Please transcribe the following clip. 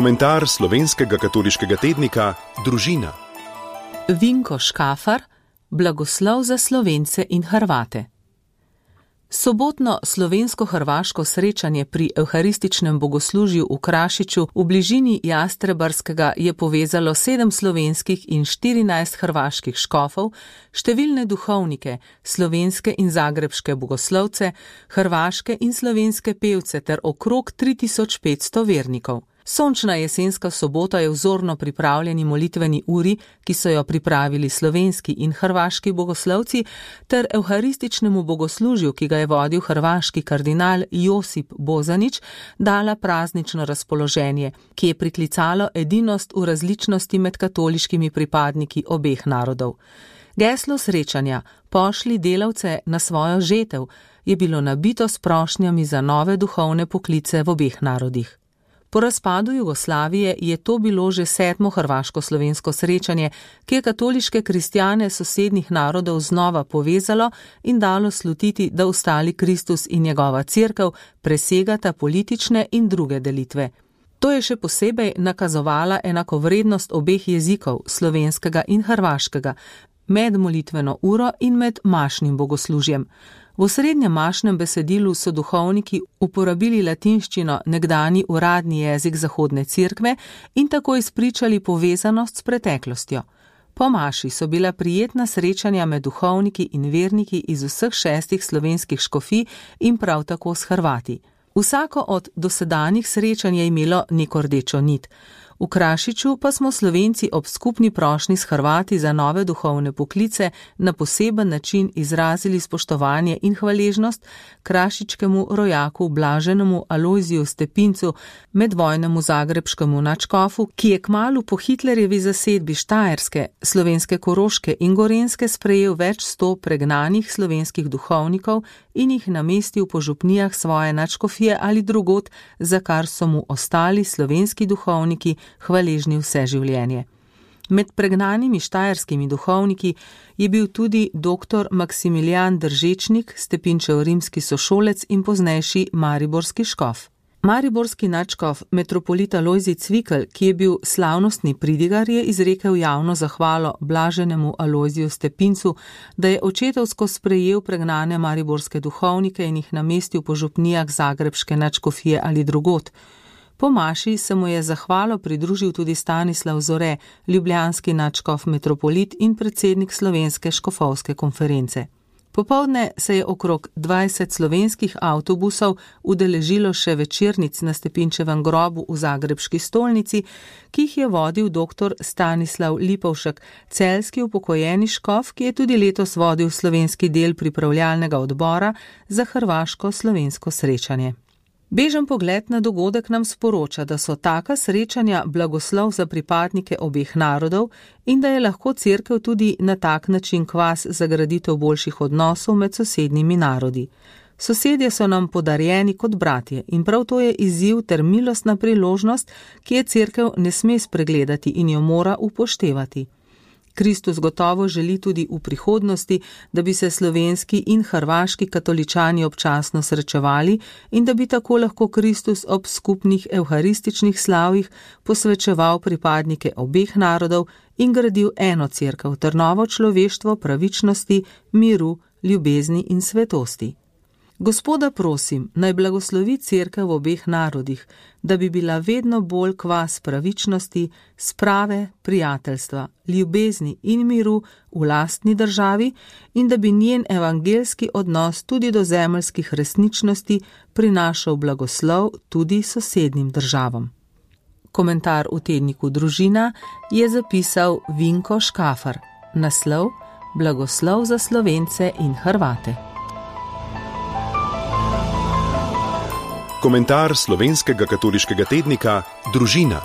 Komentar slovenskega katoliškega tednika Družina. Vinko Škafar, blagoslov za Slovence in Hrvate. Sobotno slovensko-hrvaško srečanje pri evharističnem bogoslužju v Krašiču v bližini Jastrebarskega je povezalo 7 slovenskih in 14 hrvaških škofov, številne duhovnike, slovenske in zagrebške bogoslovce, hrvaške in slovenske pevce ter okrog 3500 vernikov. Sončna jesenska sobota je vzorno pripravljeni molitveni uri, ki so jo pripravili slovenski in hrvaški bogoslovci, ter evharističnemu bogoslužju, ki ga je vodil hrvaški kardinal Josip Bozanić, dala praznično razpoloženje, ki je priklicalo edinost v različnosti med katoliškimi pripadniki obeh narodov. Geslo srečanja "Pošli delavce na svojo žetev" je bilo nabito s prošnjami za nove duhovne poklice v obeh narodih. Po razpadu Jugoslavije je to bilo že 7. hrvaško-slovensko srečanje, ki je katoliške kristjane sosednjih narodov znova povezalo in dalo slutiti, da ostali Kristus in njegova cerkev presegata politične in druge delitve. To je še posebej nakazovala enakovrednost obeh jezikov, slovenskega in hrvaškega, med molitveno uro in med mašnim bogoslužjem. V osrednjem mašnem besedilu so duhovniki uporabili latinščino, nekdanji uradni jezik Zahodne cerkve, in tako izpričali povezanost s preteklostjo. Po maši so bila prijetna srečanja med duhovniki in verniki iz vseh 6 slovenskih škofij in prav tako s Hrvati. Vsako od dosedanjih srečanj je imelo neko rdečo nit. V Krašiču pa smo Slovenci ob skupni prošnji s Hrvati za nove duhovne poklice na poseben način izrazili spoštovanje in hvaležnost krašičkemu rojaku Blaženemu Alojziju Stepincu, medvojnemu zagrebškemu nadškofu, ki je kmalu po Hitlerjevi zasedbi Štajerske, slovenske Koroške in Gorenjske sprejel več 100 pregnanih slovenskih duhovnikov in jih namestil po župnijah svoje nadškofije ali drugod, za kar so mu ostali slovenski duhovniki hvaležni vse življenje. Med pregnanimi štajerskimi duhovniki je bil tudi dr. Maksimilijan Držečnik, Stepinčev rimski sošolec in poznejši mariborski škof. Mariborski nadškof metropolit Alojzij Cvikl, ki je bil slavnostni pridigar, je izrekel javno zahvalo Blaženemu Alojziju Stepincu, da je očetovsko sprejel pregnane mariborske duhovnike in jih namestil po župnijah zagrebške nadškofije ali drugod. Po maši se mu je zahvalo pridružil tudi Stanislav Zore, ljubljanski nadškof metropolit in predsednik Slovenske škofovske konference. Popoldne se je okrog 20 slovenskih avtobusov udeležilo še večernic na Stepinčevem grobu v zagrebški stolnici, ki jih je vodil dr. Stanislav Lipovšek, celjski upokojeni škof, ki je tudi letos vodil slovenski del pripravljalnega odbora za hrvaško-slovensko srečanje. Bežen pogled na dogodek nam sporoča, da so taka srečanja blagoslov za pripadnike obeh narodov in da je lahko cerkev tudi na tak način kvas za graditev boljših odnosov med sosednjimi narodi. Sosedje so nam podarjeni kot bratje in prav to je izziv ter milostna priložnost, ki je cerkev ne sme spregledati in jo mora upoštevati. Kristus gotovo želi tudi v prihodnosti, da bi se slovenski in hrvaški katoličani občasno srečevali in da bi tako lahko Kristus ob skupnih evharističnih slavjih posvečeval pripadnike obeh narodov in gradil eno cerkev ter novo človeštvo pravičnosti, miru, ljubezni in svetosti. Gospoda prosim, naj blagoslovi cerkev v obeh narodih, da bi bila vedno bolj kvas pravičnosti, sprave, prijateljstva, ljubezni in miru v lastni državi in da bi njen evangelski odnos tudi do zemeljskih resničnosti prinašal blagoslov tudi sosednjim državam. Komentar v tedniku Družina je zapisal Vinko Škafar. Naslov: Blagoslov za Slovence in Hrvate. Komentar slovenskega katoliškega tednika Družina.